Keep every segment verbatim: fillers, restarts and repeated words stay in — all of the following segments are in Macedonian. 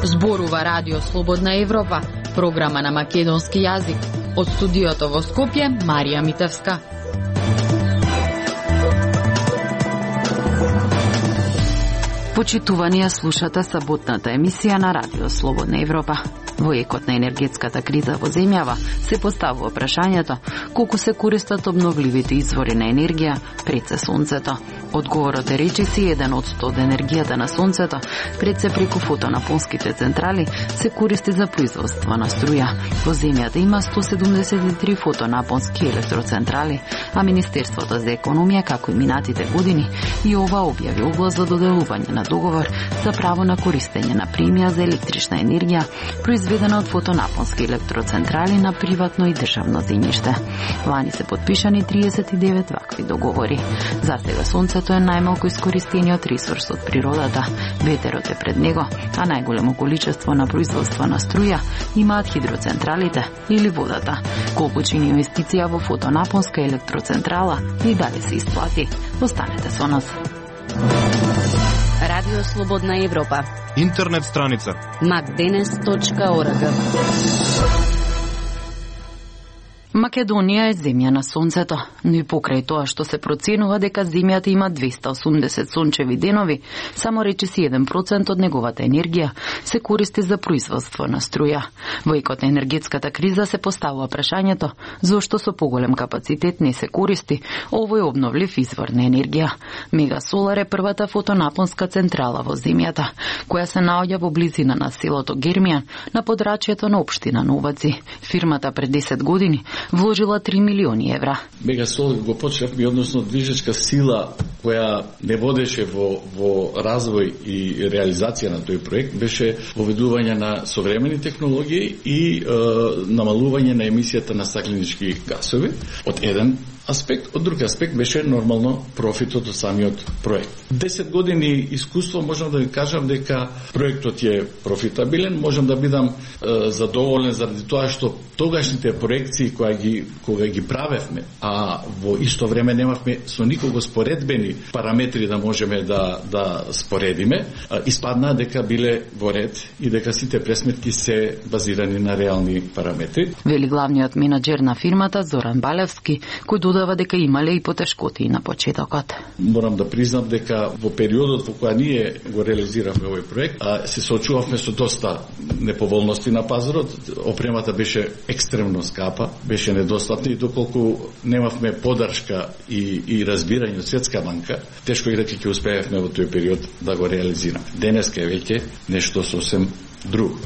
Зборува Радио Слободна Европа, програма на македонски јазик. Од студиото во Скопје, Марија Митевска. Почитувани ја слушате саботната емисија на Радио Слободна Европа. Во екот на енергетската криза во земјава се поставува прашањето колку се користат обновливите извори на енергија пред се сонцето. Одговорот е речиси еден од сто од енергијата на сонцето пред се преку фотонапонските централи се користи за производство на струја. Во земјата има сто седумдесет и три фотонапонски електроцентрали, а Министерството за економија, како и минатите години, и ова објави оглас за доделување на договор за право на користење на премија за електрична енергија, произведена од фотонапонски електроцентрали на приватно и државно земјиште. Лани се подпишани триесет и девет вакви договори. За сега сонцето е најмалку искористениот ресурс од природата. Ветерот е пред него, а најголемо количество на производство на струја имаат хидроцентралите или водата. Колку чини инвестиција во фотонапонска електроцентрала и дали се исплати? Останете со нас. Радио Слободна Европа. Интернет страница макденес точка орг. Македонија е земја на сонцето, но и покрај тоа што се проценува дека земјата има двеста осумдесет сончеви денови, само речиси еден процент од неговата енергија се користи за производство на струја. Во екот на енергетската криза се поставува прашањето зошто со поголем капацитет не се користи овој обновлив извор на енергија. Мегасолар е првата фотонапонска централа во земјата, која се наоѓа во близина на селото Гермијан на подрачјето на општина Новаци. Фирмата пред десет години вложила три милиони евра. Мегасолар го почнавме, односно движечка сила која не водеше во, во развој и реализација на тој проект беше воведување на современи технологии и е, намалување на емисијата на стакленички гасови од еден аспект, од друг аспект беше нормално профитот од самиот проект. десет години искуство можам да ви кажам дека проектот е профитабилен, можам да бидам е, задоволен заради тоа што тогашните проекции кои ги кога ги правевме, а во исто време немавме со никого споредбени параметри да можеме да да споредиме, испадна дека биле во ред и дека сите пресметки се базирани на реални параметри. Вели главниот менаџер на фирмата Зоран Балевски, кој додава дека имале и потешкоти на почетокот. Морам да признам дека во периодот во која ние го реализиравме овој проект, а се соочувавме со доста неповолности на пазарот, опремата беше екстремно скапа, беше недостатна и доколку немавме поддршка и, и разбирање од Светска банка, тешко и дека ќе успеевме во тој период да го реализираме. Денеска е веќе нешто сосем друго.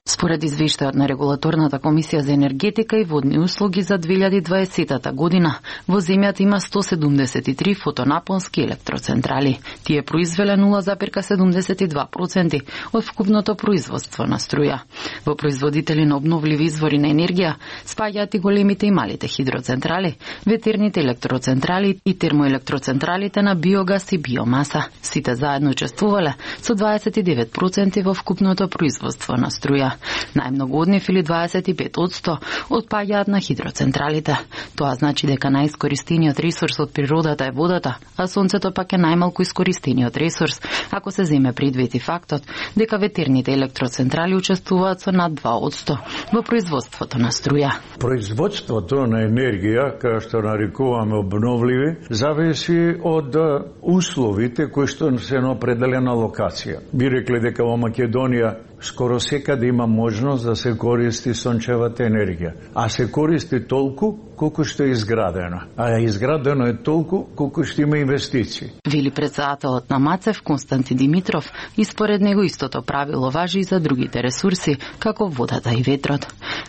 Според извештајот на Регулаторната комисија за енергетика и водни услуги за две илјади и дваесета година, во земјата има сто седумдесет и три фотонапонски електроцентрали. Тие произвеле нула зарез седумдесет и два проценти од вкупното производство на струја. Во производители на обновливи извори на енергија спаѓаат и големите и малите хидроцентрали, ветерните електроцентрали и термоелектроцентралите на биогас и биомаса. Сите заедно учествувале со дваесет и девет проценти во вкупното производство на струја. Најмногу од нив или дваесет и пет одсто отпаѓаат на хидроцентралите. Тоа значи дека најискористениот ресурс од природата е водата, а сонцето пак е најмалку искористениот ресурс, ако се земе предвид и фактот дека ветерните електроцентрали учествуваат со над два одсто во производството на струја. Производството на енергија, кај што нарекуваме обновливи, зависи од условите кои што се на определена локација. Би рекле дека во Македонија скоро секаде има можност да се користи сончевата енергија, а се користи толку колку што е изградено, а изградено е толку колку што има инвестиции. Вели председателот на МАЦЕВ Константи Димитров и според него истото правило важи и за другите ресурси, како водата и ветрот.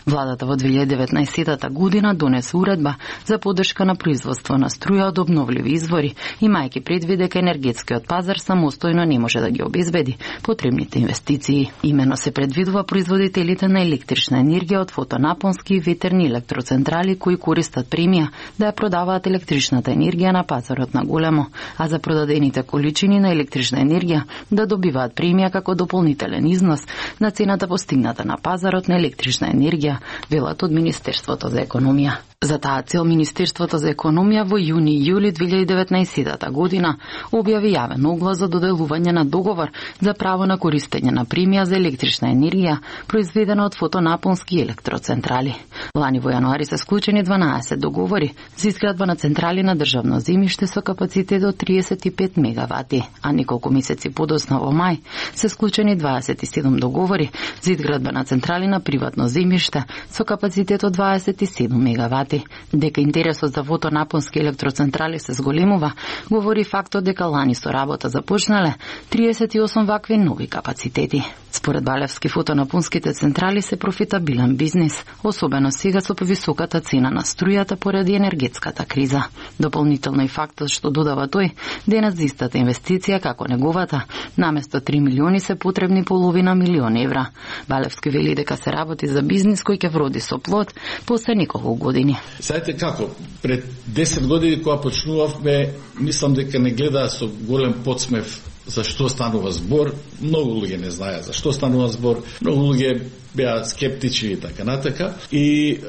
Владата во две илјади и деветнаесета година донесе уредба за поддршка на производство на струја од обновливи извори, имајќи предвид дека енергетскиот пазар самостојно не може да ги обезбеди потребните инвестиции. Имено се предвидува производителите на електрична енергија од фотонапонски и ветерни електроцентрали кои користат премија да ја продаваат електричната енергија на пазарот на големо, а за продадените количини на електрична енергија да добиваат премија како дополнителен износ на цената постигната на пазарот на електрична енергија, велат од Министерството за економија. За таа цел Министерството за економија во јуни и јули две илјади и деветнаесетта година објави јавен оглас за доделување на договор за право на користење на премија за електрична енергија произведена од фотонапонски електроцентрали. Лани во јануари се склучени дванаесет договори за изградба на централи на државно земјиште со капацитет од триесет и пет мегавати, а неколку месеци подоцна во мај се склучени дваесет и седум договори за изградба на централи на приватно земјиште со капацитет од дваесет и седум мегавати. Дека интересот за фотонапонски електроцентрали се зголемува, говори фактот дека лани со работа започнале триесет и осум вакви нови капацитети. Според Балевски, фотонапонските централи се профитабилен бизнис, особено сега со повисоката цена на струјата поради енергетската криза. Дополнително и фактот што додава тој, денес за истата инвестиција како неговата, наместо три милиони се потребни половина милион евра. Балевски вели дека се работи за бизнис кој ќе вроди со плод после неколку години. Сајте како, пред десет години кога почнувавме, мислам дека не гледаа со голем подсмев за што станува збор. Многу луѓе не знаеа за што станува збор, многу луѓе беа скептични и така натака. И е,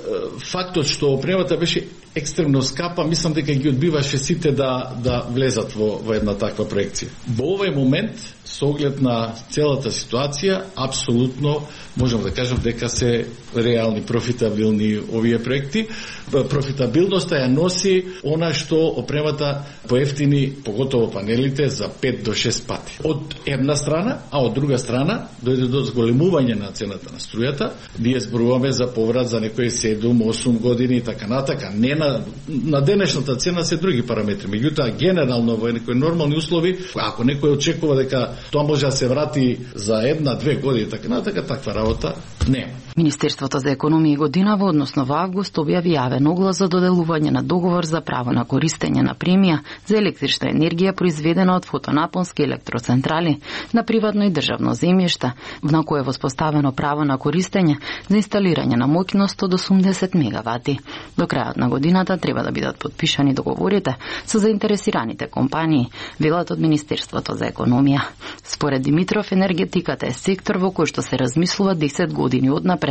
фактот што опремата беше екстремно скапа, мислам дека ги одбиваше сите да да влезат во, во една таква проекција. Во овој момент, со оглед на целата ситуација, апсолутно можам да кажам дека се реални, профитабилни овие проекти. Профитабилноста ја носи она што опремата поевтини, поготово панелите, за пет до шест пати. Од една страна, а од друга страна дојде до зголемување на цената на струјата. Ние зборуваме за поврат за некои седум осум години и така натака. Не на, на денешната цена се други параметри. Меѓутоа, генерално во некои нормални услови, ако некој очекува дека тоа може да се врати за една-две години и така натака, таква работа нема. Министерството за економија и годинава, односно во август, објави јавен оглас за доделување на договор за право на користење на премија за електрична енергија произведена од фотонапонски електроцентрали на приватно и државно земјиште, на кое е воспоставено право на користење за инсталирање на моќност од осумдесет мегавати. До крајот на годината треба да бидат потпишани договорите со заинтересираните компании, велат од Министерството за економија. Според Димитров, енергетиката е сектор во кој што се размислува десет години однапред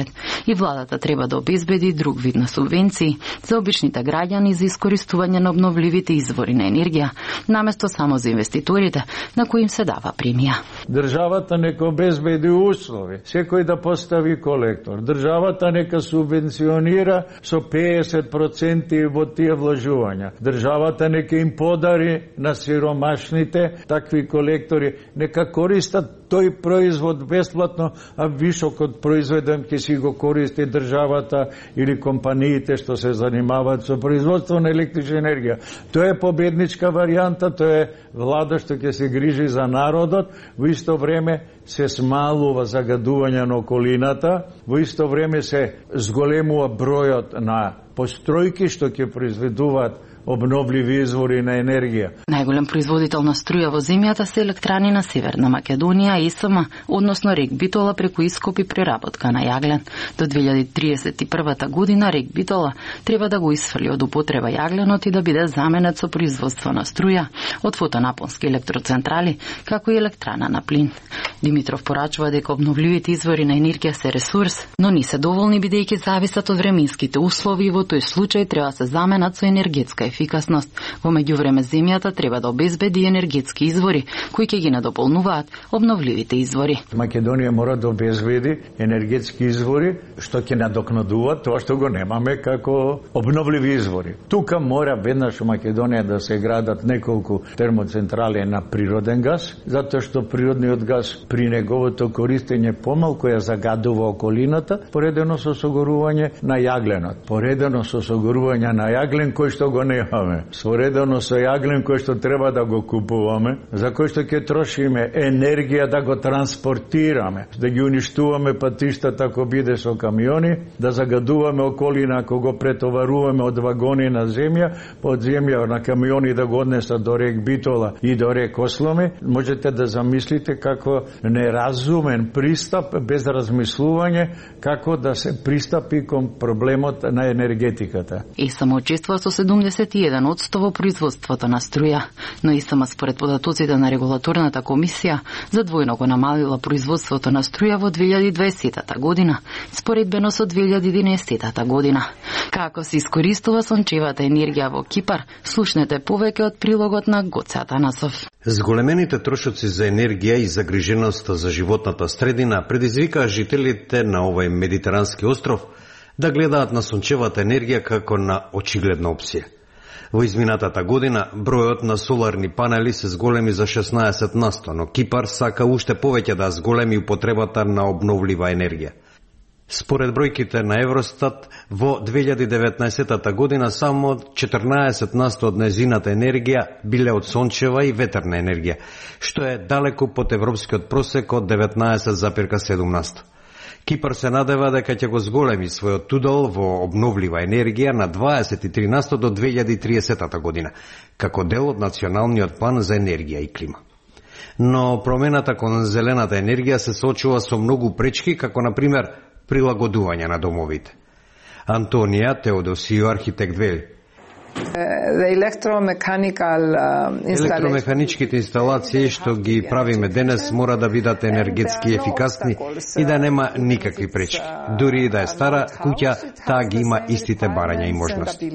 и владата треба да обезбеди друг вид на субвенции за обичните граѓани за искористување на обновливите извори на енергија, наместо само за инвеститорите на кои им се дава премија. Државата нека обезбеди услови, секој да постави колектор. Државата нека субвенционира со педесет проценти во тие вложувања. Државата нека им подари на сиромашните такви колектори, нека користат тој производ бесплатно, а вишокот произведен ќе си го користи државата или компаниите што се занимаваат со производство на електрична енергија. Тоа е победничка варијанта, тоа е влада што ќе се грижи за народот, во исто време се смалува загадување на околината, во исто време се зголемува бројот на постројки што ќе произведуваат обновливи извори на енергија. Најголем производител на струја во земјата се електрани на Северна Македонија, Е С М, односно Рек Битола преку ископ и преработка на јаглен. До две илјади триесет и прва година Рек Битола треба да го исфрли од употреба јагленот и да биде заменет со производство на струја од фотонапонски електроцентрали, како и електрана на плин. Димитров порачува дека обновливите извори на енергија се ресурс, но не се доволни бидејќи зависат од временските услови и во тој случај треба да се заменат со енергетска ефикасност. Во меѓувреме земјата треба да обезбеди енергетски извори кои ќе ги надополнуваат обновливите извори. Македонија мора да обезбеди енергетски извори што ќе надокнадуваат тоа што го немаме како обновливи извори. Тука мора веднаш во Македонија да се градат неколку термоцентрали на природен газ, затоа што природниот газ при неговото користење помалку ја загадува околината, поредено со согорување на јагленот, поредено со согорување на јаглен кој што го не немаме. Споредно со јаглен кој што треба да го купуваме, за кој што ќе трошиме енергија да го транспортираме, да ги уништуваме патиштата ако биде со камиони, да загадуваме околина ако го претоваруваме од вагони на земја, од земја на камиони да го однесат до рек Битола и до рек Осломи. Можете да замислите како неразумен пристап без размислување како да се пристапи кон проблемот на енергетиката. ИСМ учествува со седумдесет и еден одсто во производството на струја, но ИСМ според податоците на регулаторната комисија за двојно го намалила производството на струја во две илјади и дваесетта година, споредбено со две илјади и единаесетта година. Како се искористува сончевата енергија во Кипар, слушнете повеќе од прилогот на Гоце Атанасов. Зголемените трошоци за енергија и загриженоста за животната средина предизвикаа жителите на овој медитерански остров да гледаат на сончевата енергија како на очигледна опција. Во изминатата година бројот на соларни панели се зголеми за шеснаесет на сто, но Кипар сака уште повеќе да зголеми употребата на обновлива енергија. Според бројките на Евростат, во две илјади и деветнаесетта година само четрнаесет на сто од нејзината енергија биле од сончева и ветерна енергија, што е далеку под европскиот просек од деветнаесет зарез седум на сто. Кипар се надева дека ќе го зголеми својот удел во обновлива енергија на дваесет и три на сто до две илјади и триесетта година, како дел од националниот план за енергија и клима. Но промената кон зелената енергија се соочува со многу пречки, како на пример прилагодување на домовите. Антонија Теодосио, архитект, вели: Електромеханичките инсталации што ги правиме денес мора да бидат енергетски ефикасни и да нема никакви пречки. Дури и да е стара куќа, таа ги има истите барања и можности.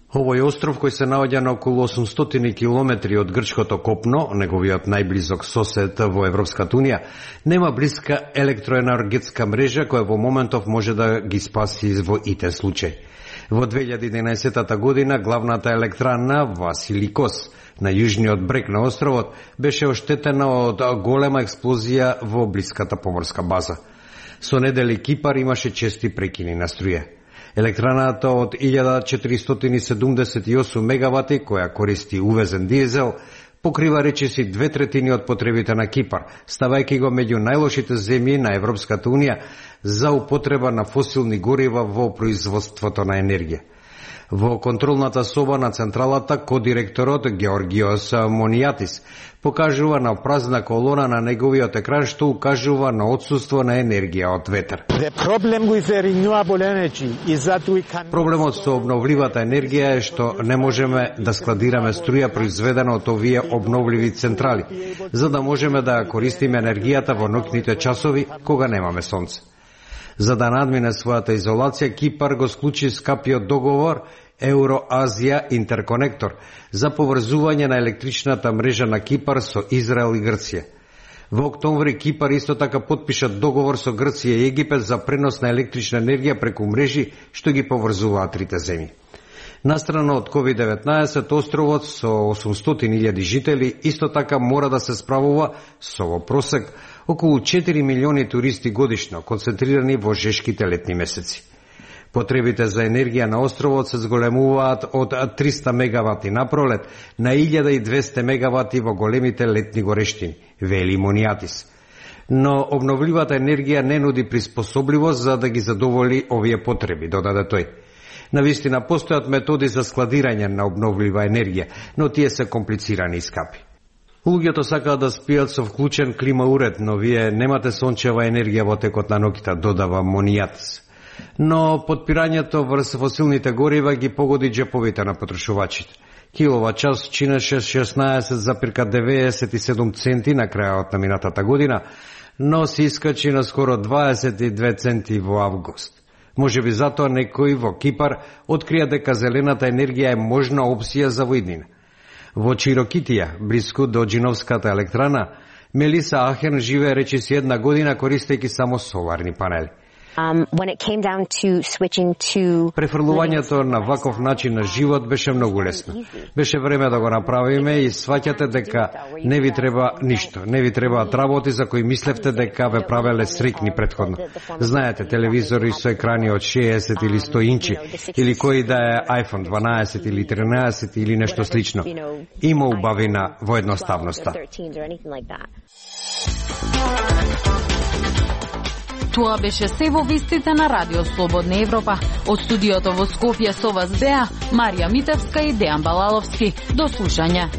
Овој остров, кој се наоѓа на околу осумстотини километри од грчкото копно, неговиот најблизок сосед во Европската унија, нема блиска електроенергетска мрежа која во моментов може да ги спаси во итен случај. Во две илјади и единаесетта година главната електрана Василикос на јужниот брег на островот беше оштетена од голема експлозија во блиската поморска база. Со недели Кипар имаше чести прекини на струја. Електраната од илјада четиристотини и седумдесет и осум мегавати, која користи увезен дизел, покрива речиси две третини од потребите на Кипар, ставајќи го меѓу најлошите земји на Европската унија за употреба на фосилни горива во производството на енергија. Во контролната соба на централата, кодиректорот Георгиос Монијатис покажува на празна колона на неговиот екран што укажува на отсуство на енергија од ветер. Проблемот со обновливата енергија е што не можеме да складираме струја произведена од овие обновливи централи, за да можеме да користиме енергијата во ноќните часови кога немаме сонце. За да надмине својата изолација, Кипар го склучи скапиот договор Евроазија Интерконектор за поврзување на електричната мрежа на Кипар со Израел и Грција. Во октомври Кипар исто така потпиша договор со Грција и Египет за пренос на електрична енергија преку мрежи што ги поврзуваат трите земји. Настрана од ковид деветнаесет, островот со осумстотини илјади жители исто така мора да се справува со во просек околу четири милиони туристи годишно, концентрирани во жешките летни месеци. Потребите за енергија на островот се зголемуваат од триста мегавати на пролет на илјада и двесте мегавати во големите летни горештини, вели Монијатис. Но обновливата енергија не нуди приспособливост за да ги задоволи овие потреби, додаде тој. Навистина постојат методи за складирање на обновлива енергија, но тие се комплицирани и скапи. Луѓето сакаат да спијат со вклучен климауред, но вие немате сончева енергија во текот на ноќта, додава Монијатис. Но подпирањето врз фосилните горива ги погоди џеповите на потрошувачите. Киловат час чинеше шеснаесет зарез деветдесет и седум центи на крајот на минатата година, но се искачи на скоро дваесет и две центи во август. Може би затоа некој во Кипар открија дека зелената енергија е можна опција за воиднина. Во Чирокитија, блиску до Джиновската електрана, Мелиса Ахен живее речиси една година користејќи само соларни панели. Префрлувањето на ваков начин на живот беше многу лесно. Беше време да го направиме и сваќате дека не ви треба ништо, не ви требаат работи за кои мислевте дека ве правеле среќни претходно. Знаете, телевизори со екрани од шеесет или сто инчи, или кој да е iPhone дванаесет или тринаесет или нешто слично. Има убавина во едноставноста. Тоа беше се во вестите на Радио Слободна Европа. Од студиото во Скопје со вас беа Марија Митевска и Дејан Балаловски. До слушање.